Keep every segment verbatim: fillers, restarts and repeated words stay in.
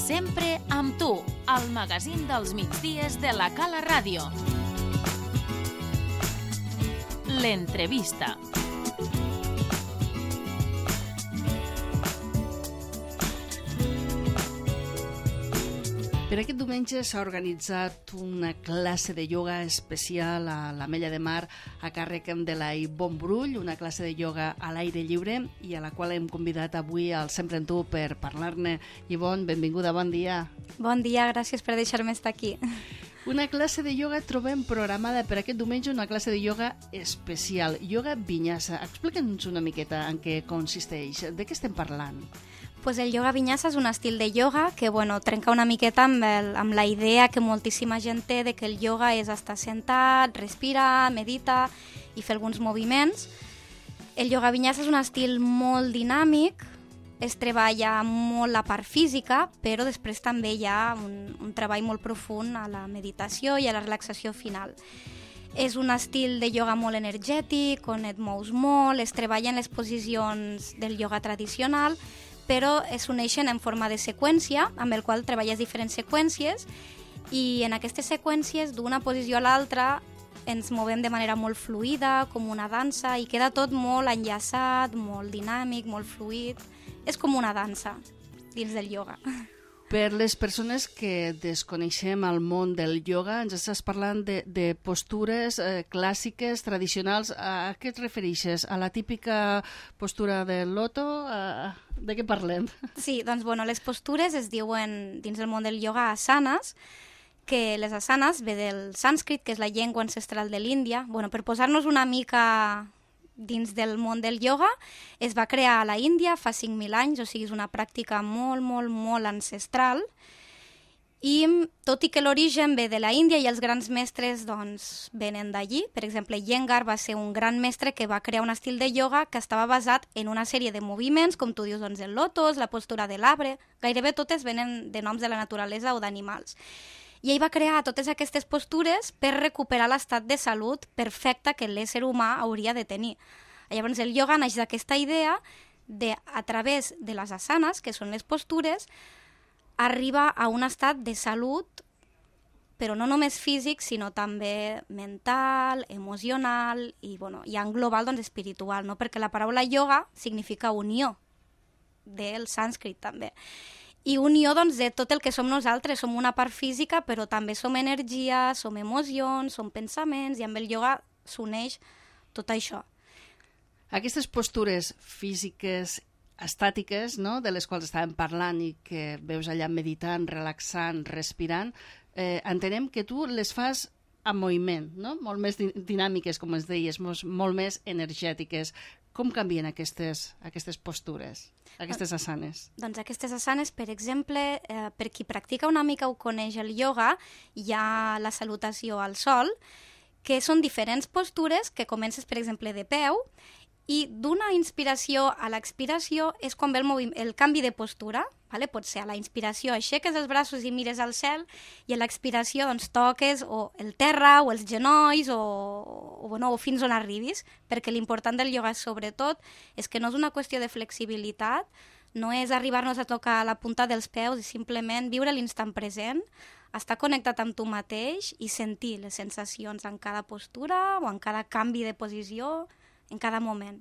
Sempre amb tu, al magazín dels migdies de la Cala Ràdio. L'entrevista. Per aquest diumenge s'ha organitzat una classe de ioga especial a l'Ametlla de Mar a càrrec de la Ivonne Brull, una classe de ioga a l'aire lliure i a la qual hem convidat avui al Sempre en tu per parlar-ne. Ivonne, benvinguda, bon dia. Bon dia, gràcies per deixar-me estar aquí. Una classe de ioga trobem programada per aquest diumenge, una classe de ioga especial, ioga vinyasa. Explica'ns una miqueta en què consisteix, de què estem parlant? Pues el yoga vinyasa és un estil de yoga que bueno, trenca una miqueta amb, el, amb la idea que moltíssima gent té de que el yoga és estar sentat, respirar, meditar i fer alguns moviments. El yoga vinyasa és un estil molt dinàmic, es treballa molt la part física, però després també hi ha un, un treball molt profund a la meditació i a la relaxació final. És un estil de yoga molt energètic, on et mous molt, es treballen les posicions del yoga tradicional, però es uneixen en forma de seqüència, amb el qual treballes diferents seqüències, i en aquestes seqüències, d'una posició a l'altra, ens movem de manera molt fluida, com una dansa, i queda tot molt enllaçat, molt dinàmic, molt fluid. És com una dansa dins del yoga. Per les persones que desconeixem el món del yoga, ens estàs parlant de, de postures eh, clàssiques, tradicionals. A què et refereixes? A la típica postura del loto? A... De què parlem? Sí, doncs bueno, les postures es diuen dins del món del yoga asanes, que les asanes ve del sànscrit, que és la llengua ancestral de l'Índia. Bueno, per posar-nos una mica dins del món del yoga, es va crear a la Índia fa cinc mil anys, o sigui, és una pràctica molt, molt, molt ancestral, i tot i que l'origen ve de la Índia i els grans mestres doncs, venen d'allí. Per exemple, Iyengar va ser un gran mestre que va crear un estil de yoga que estava basat en una sèrie de moviments, com tu dius, doncs, el lotus, la postura de l'arbre, gairebé totes venen de noms de la naturalesa o d'animals. I ell va crear totes aquestes postures per recuperar l'estat de salut perfecta que l'ésser humà hauria de tenir. Llavors el yoga naix d'aquesta idea de, a través de les asanes, que són les postures, arriba a un estat de salut, però no només físic, sinó també mental, emocional i, bueno, i en global doncs, espiritual, no? Perquè la paraula yoga significa unió, del sànscrit també. I unió doncs, de tot el que som nosaltres, som una part física, però també som energia, som emocions, som pensaments, i amb el yoga s'uneix tot això. Aquestes postures físiques, estàtiques, no?, de les quals estàvem parlant i que veus allà meditant, relaxant, respirant, eh, entenem que tu les fas en moviment, no?, molt més dinàmiques, com ens deies, molt més energètiques. Com canvien aquestes, aquestes postures, aquestes asanes? Doncs aquestes asanes, per exemple, eh, per qui practica una mica o coneix el yoga, hi ha la salutació al sol, que són diferents postures que comences, per exemple, de peu, i d'una inspiració a l'expiració és quan ve el, el canvi de postura. Vale? Pot ser a la inspiració aixeques els braços i mires al cel, i a l'expiració doncs, toques o el terra o els genolls o, o, bueno, o fins on arribis, perquè l'important del yoga sobretot és que no és una qüestió de flexibilitat, no és arribar-nos a tocar la punta dels peus, és simplement viure l'instant present, estar connectat amb tu mateix i sentir les sensacions en cada postura o en cada canvi de posició, en cada moment.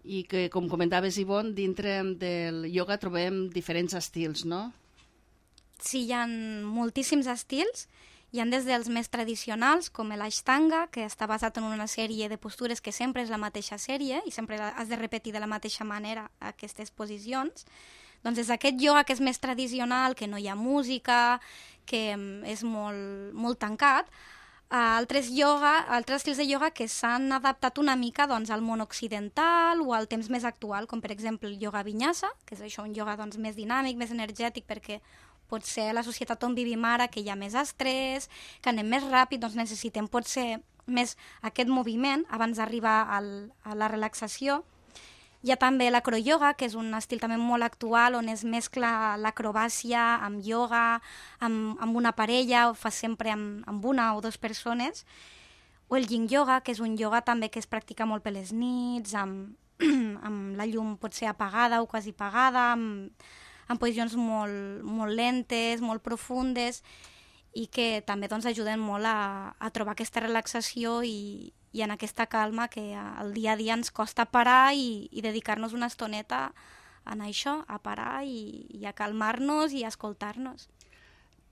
I que, com comentaves, Ivonne, dintre del yoga trobem diferents estils, no? Sí, hi ha moltíssims estils. Hi ha des dels més tradicionals, com l'Ashtanga, que està basat en una sèrie de postures que sempre és la mateixa sèrie i sempre has de repetir de la mateixa manera aquestes posicions. Doncs des d'aquest yoga que és més tradicional, que no hi ha música, que és molt, molt tancat, a altres, yoga, altres estils de yoga que s'han adaptat una mica doncs, al món occidental o al temps més actual, com per exemple el yoga vinyasa, que és això, un yoga doncs, més dinàmic, més energètic, perquè pot ser la societat on vivim ara, que hi ha més estrès, que anem més ràpid, doncs necessitem potser més aquest moviment abans d'arribar al, a la relaxació. Hi ha també l'acroyoga, que és un estil també molt actual, on es mescla l'acrobàcia amb yoga, amb, amb una parella, o fa sempre amb, amb una o dues persones. O el yin yoga, que és un yoga també que es practica molt per les nits, amb, amb la llum potser apagada o quasi apagada, amb, en posicions molt, molt lentes, molt profundes, i que també doncs, ajuden molt a, a trobar aquesta relaxació i, i en aquesta calma que al dia a dia ens costa parar i, i dedicar-nos una estoneta a això, a parar i, i a calmar-nos i a escoltar-nos.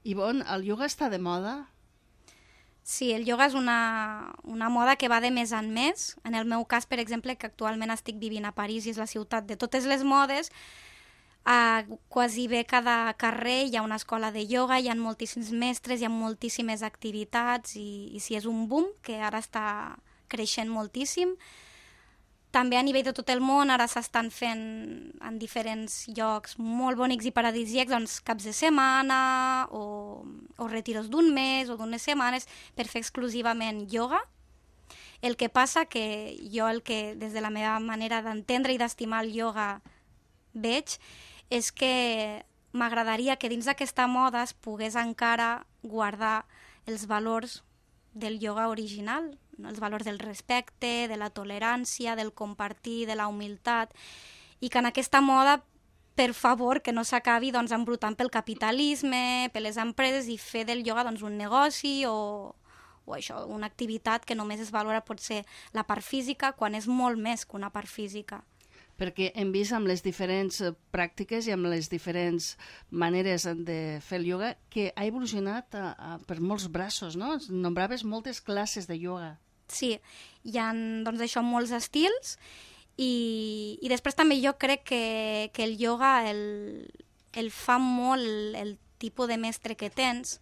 Ivonne, el ioga està de moda? Sí, el ioga és una, una moda que va de més en més. En el meu cas, per exemple, que actualment estic vivint a París i és la ciutat de totes les modes, a quasi bé cada carrer hi ha una escola de ioga, hi ha moltíssims mestres, hi ha moltíssimes activitats i, i sí, és un boom que ara està creixent moltíssim. També a nivell de tot el món ara s'estan fent en diferents llocs molt bonics i paradisíacs, doncs caps de setmana o, o retiros d'un mes o d'unes setmanes per fer exclusivament ioga. El que passa que jo el que des de la meva manera d'entendre i d'estimar el ioga veig és que m'agradaria que dins d'aquesta moda es pogués encara guardar els valors del ioga original, els valors del respecte, de la tolerància, del compartir, de la humilitat, i que en aquesta moda, per favor, que no s'acabi doncs, embrutant pel capitalisme, per les empreses i fer del ioga doncs, un negoci o, o això, una activitat que només es valora potser la part física quan és molt més que una part física. Perquè hem vist amb les diferents pràctiques i amb les diferents maneres de fer el ioga que ha evolucionat a, a, per molts braços, no? Nombraves moltes classes de ioga. Sí, hi ha doncs, això, molts estils i, i després també jo crec que, que el ioga el, el fa molt el, el tipus de mestre que tens,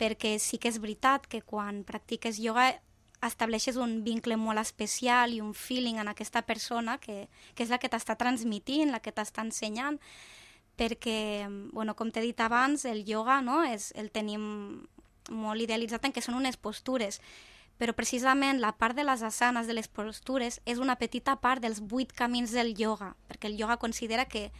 perquè sí que és veritat que quan practiques ioga estableixes un vincle molt especial i un feeling en aquesta persona que, que és la que t'està transmitint, la que t'està ensenyant, perquè, bueno, com t'he dit abans, el ioga no, és, el tenim molt idealitzat en que són unes postures, però precisament la part de les asanes, de les postures, és una petita part dels vuit camins del ioga, perquè el ioga considera que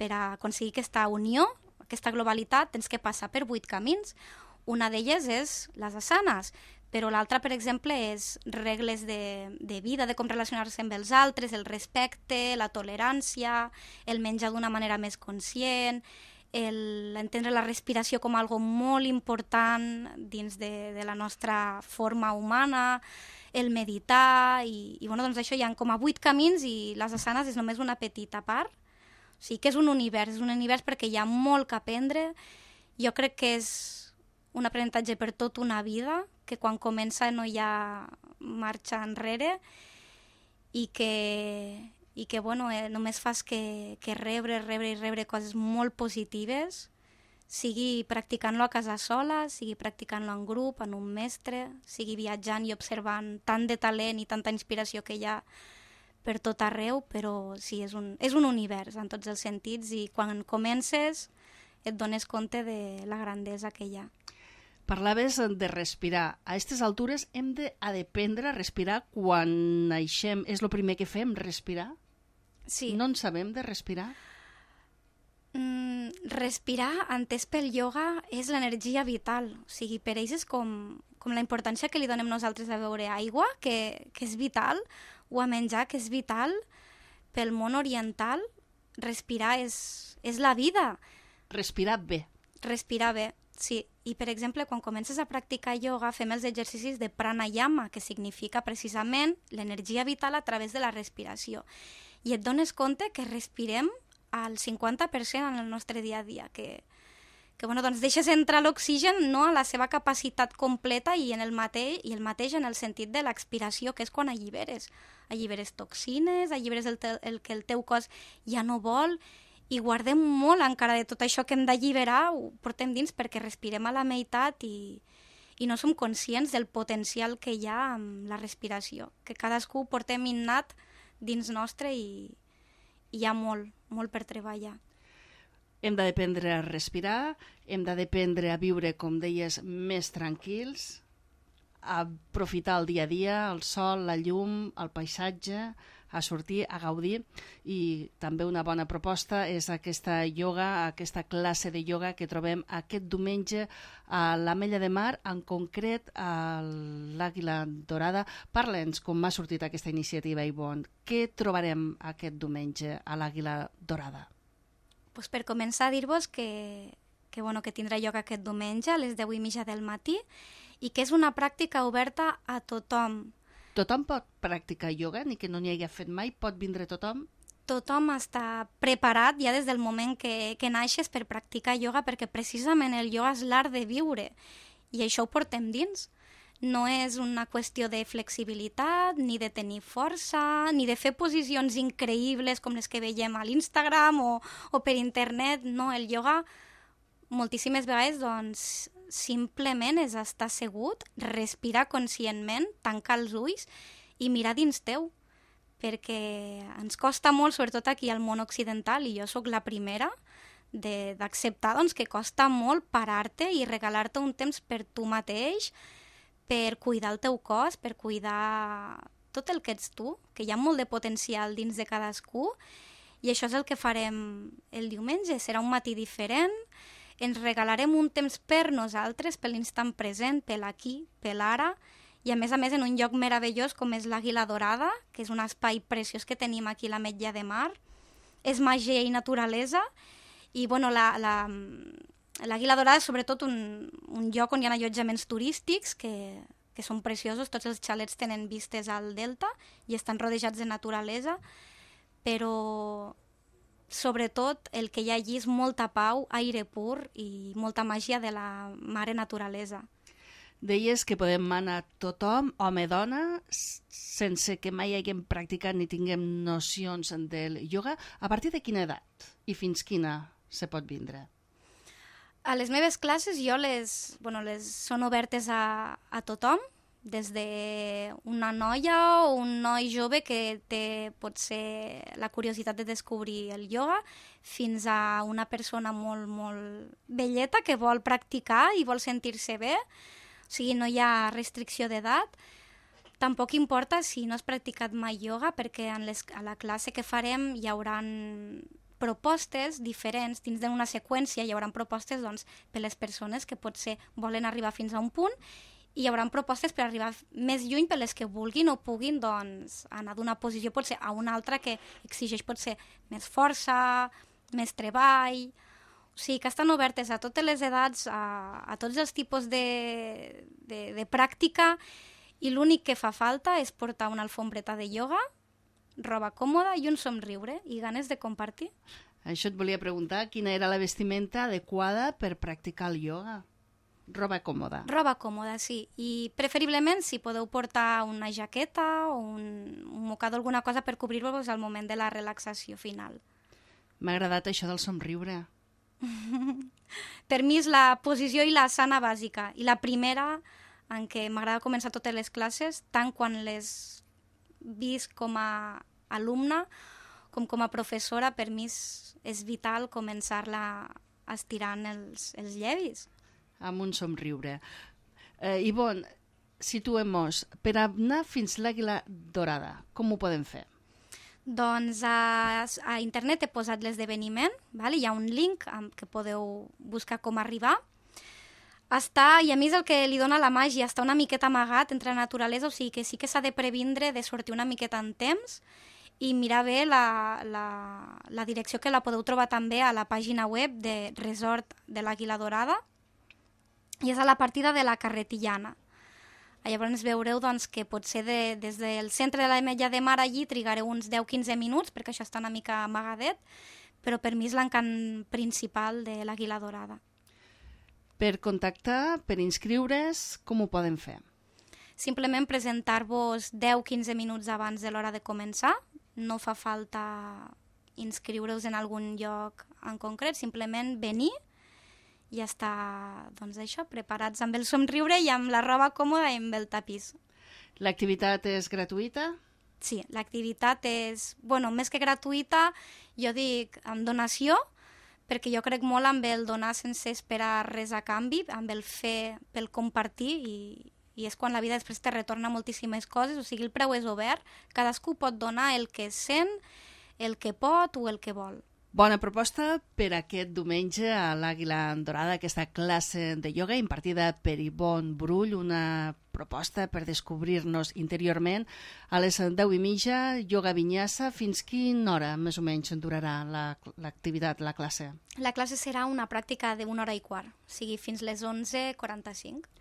per a aconseguir aquesta unió, aquesta globalitat, tens que passar per vuit camins. Una d'elles és les asanes, però l'altra, per exemple, és regles de, de vida, de com relacionar-se amb els altres, el respecte, la tolerància, el menjar d'una manera més conscient, el entendre la respiració com algo molt important dins de, de la nostra forma humana, el meditar, i, i bueno, doncs això hi ha com a vuit camins i les asanes és només una petita part. O sigui que és un univers, és un univers perquè hi ha molt que aprendre. Jo crec que és un aprenentatge per tota una vida, que quan comença no hi ha marxa enrere i que, i que bueno, eh, només fas que, que rebre, rebre i rebre coses molt positives, sigui practicant-lo a casa sola, sigui practicant-lo en grup, en un mestre, sigui viatjant i observant tant de talent i tanta inspiració que hi ha per tot arreu, però sí, és un, és un univers en tots els sentits i quan comences et dones compte de la grandesa que hi ha. Parlaves de respirar. A aquestes altures hem d'aprendre a respirar quan naixem. És el primer que fem, respirar? Sí. No en sabem de respirar? Mm, respirar, entès pel ioga, és l'energia vital. O sigui, per ells és com, com la importància que li donem nosaltres a beure aigua, que, que és vital, o a menjar, que és vital. Pel món oriental, respirar és, és la vida. Respirar bé. Respirar bé. Sí, i per exemple, quan comences a practicar ioga, fem els exercicis de pranayama, que significa precisament l'energia vital a través de la respiració. I et dones compte que respirem al cinquanta per cent en el nostre dia a dia, que, que bueno, doncs deixes entrar l'oxigen no a la seva capacitat completa i, en el mateix, i el mateix en el sentit de l'expiració, que és quan alliberes. Alliberes toxines, alliberes el, te, el que el teu cos ja no vol, i guardem molt encara de tot això que hem d'alliberar, ho portem dins perquè respirem a la meitat i, i no som conscients del potencial que hi ha amb la respiració, que cadascú portem innat dins nostre i, i hi ha molt, molt per treballar. Hem d'aprendre a respirar, hem d'aprendre a viure, com deies, més tranquils, a aprofitar el dia a dia, el sol, la llum, el paisatge, a sortir, a gaudir, i també una bona proposta és aquesta ioga, aquesta classe de ioga que trobem aquest diumenge a l'Ametlla de Mar, en concret a l'Àguila Dorada. Parla'ns com m'ha sortit aquesta iniciativa, Ivonne. Què trobarem aquest diumenge a l'Àguila Dorada? Pues per començar, dir-vos que, que, bueno, que tindrà lloc aquest diumenge a les deu i mitja del matí i que és una pràctica oberta a tothom. Tothom pot practicar ioga, ni que no n'hi hagi fet mai, pot vindre tothom? Tothom està preparat ja des del moment que, que naixes per practicar ioga, perquè precisament el ioga és l'art de viure i això ho portem dins. No és una qüestió de flexibilitat, ni de tenir força, ni de fer posicions increïbles com les que veiem a l'Instagram o, o per internet. No, el ioga moltíssimes vegades doncs, simplement és estar assegut, respirar conscientment, tancar els ulls i mirar dins teu, perquè ens costa molt, sobretot aquí al món occidental, i jo sóc la primera, d'acceptar doncs, que costa molt parar-te i regalar-te un temps per tu mateix, per cuidar el teu cos, per cuidar tot el que ets tu, que hi ha molt de potencial dins de cadascú, i això és el que farem el diumenge. Serà un matí diferent, ens regalarem un temps per nosaltres, per l'instant present, per l'aquí, per l'ara, i a més a més en un lloc meravellós com és l'Àguila Dorada, que és un espai preciós que tenim aquí a l'Ametlla de Mar. És màgia i naturalesa, i bueno, la, la, l'Àguila Dorada és sobretot un, un lloc on hi ha allotjaments turístics que, que són preciosos, tots els xalets tenen vistes al delta i estan rodejats de naturalesa, però sobretot el que hi ha allí és molta pau, aire pur i molta màgia de la mare naturalesa. Deies que podem anar tothom, home, dona, sense que mai haguem practicat ni tinguem nocions del ioga. A partir de quina edat i fins quina se pot vindre? A les meves classes jo les, bueno, les són obertes a, a tothom, des d'una noia o un noi jove que té potser la curiositat de descobrir el ioga fins a una persona molt, molt velleta que vol practicar i vol sentir-se bé. O sigui, no hi ha restricció d'edat. Tampoc importa si no has practicat mai ioga, perquè en les, a la classe que farem hi haurà propostes diferents dins d'una seqüència. Hi haurà propostes doncs, per les persones que potser volen arribar fins a un punt i hi haurà propostes per arribar més lluny per les que vulguin o puguin doncs, anar d'una posició potser a una altra que exigeix potser més força, més treball. O sigui, que estan obertes a totes les edats, a, a tots els tipus de, de, de pràctica, i l'únic que fa falta és portar una alfombreta de ioga, roba còmoda i un somriure i ganes de compartir. Això et volia preguntar, quina era la vestimenta adequada per practicar el ioga? Roba còmoda. Roba còmoda, sí. I preferiblement si podeu portar una jaqueta o un, un mocador, alguna cosa per cobrir-vos al moment de la relaxació final. M'ha agradat això del somriure. Per mi és la posició i la sana bàsica. I la primera en què m'agrada començar totes les classes, tant quan les visc com a alumna com com a professora, per mi és, és vital començar-la estirant els, els llavis. Amb un somriure. Eh, Ivonne, situem-nos. Per anar fins l'Àguila Dorada, com ho podem fer? Doncs a, a internet he posat l'esdeveniment, vale? Hi ha un link amb, que podeu buscar com arribar. Està, i a mi és el que li dona la màgia, està una miqueta amagat entre la naturalesa, o sigui que sí que s'ha de previndre de sortir una miqueta en temps i mirar bé la, la, la direcció, que la podeu trobar també a la pàgina web de Resort de l'Àguila Dorada, i és a la partida de la Carretillana. Llavors veureu doncs, que potser de, des del centre de l'Ametlla de Mar allí trigareu uns deu a quinze minuts, perquè això està una mica amagadet, però per mi és l'encant principal de l'Àguila Dorada. Per contactar, per inscriure's, com ho poden fer? Simplement presentar-vos deu a quinze minuts abans de l'hora de començar. No fa falta inscriure-us en algun lloc en concret, simplement venir i estar, doncs això, preparats amb el somriure i amb la roba còmoda i amb el tapís. L'activitat és gratuïta? Sí, l'activitat és, bueno, més que gratuïta, jo dic amb donació, perquè jo crec molt amb el donar sense esperar res a canvi, amb el fer pel compartir, i, i és quan la vida després te retorna moltíssimes coses, o sigui, el preu és obert, cadascú pot donar el que sent, el que pot o el que vol. Bona proposta per aquest diumenge a l'Àguila Dorada, aquesta classe de ioga impartida per Ivonne Brull, una proposta per descobrir-nos interiorment. A les deu i mitja, ioga vinyassa. Fins quina hora més o menys durarà l'activitat, la, la classe? La classe serà una pràctica d'una hora i quart, o sigui, fins les onze quaranta-cinc.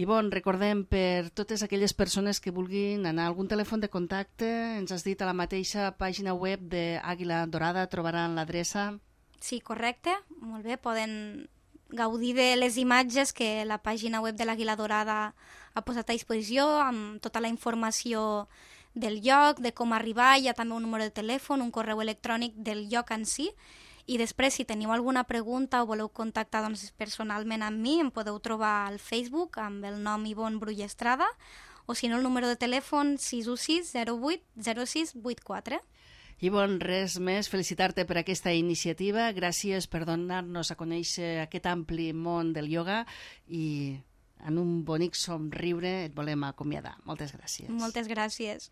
Ivonne, recordem per totes aquelles persones que vulguin anar a algun telèfon de contacte, ens has dit a la mateixa pàgina web d'Àguila Dorada, trobaran l'adreça. Sí, correcte, molt bé, poden gaudir de les imatges que la pàgina web de l'Àguila Dorada ha posat a disposició, amb tota la informació del lloc, de com arribar, hi ha també un número de telèfon, un correu electrònic del lloc en si, i després, si teniu alguna pregunta o voleu contactar doncs, personalment amb mi, em podeu trobar al Facebook amb el nom Ivonne Brull Estrada, o si no, el número de telèfon sis u sis zero vuit zero sis vuit quatre. Ivonne, res més, felicitar-te per aquesta iniciativa, gràcies per donar-nos a conèixer aquest ampli món del ioga i en un bonic somriure et volem acomiadar. Moltes gràcies. Moltes gràcies.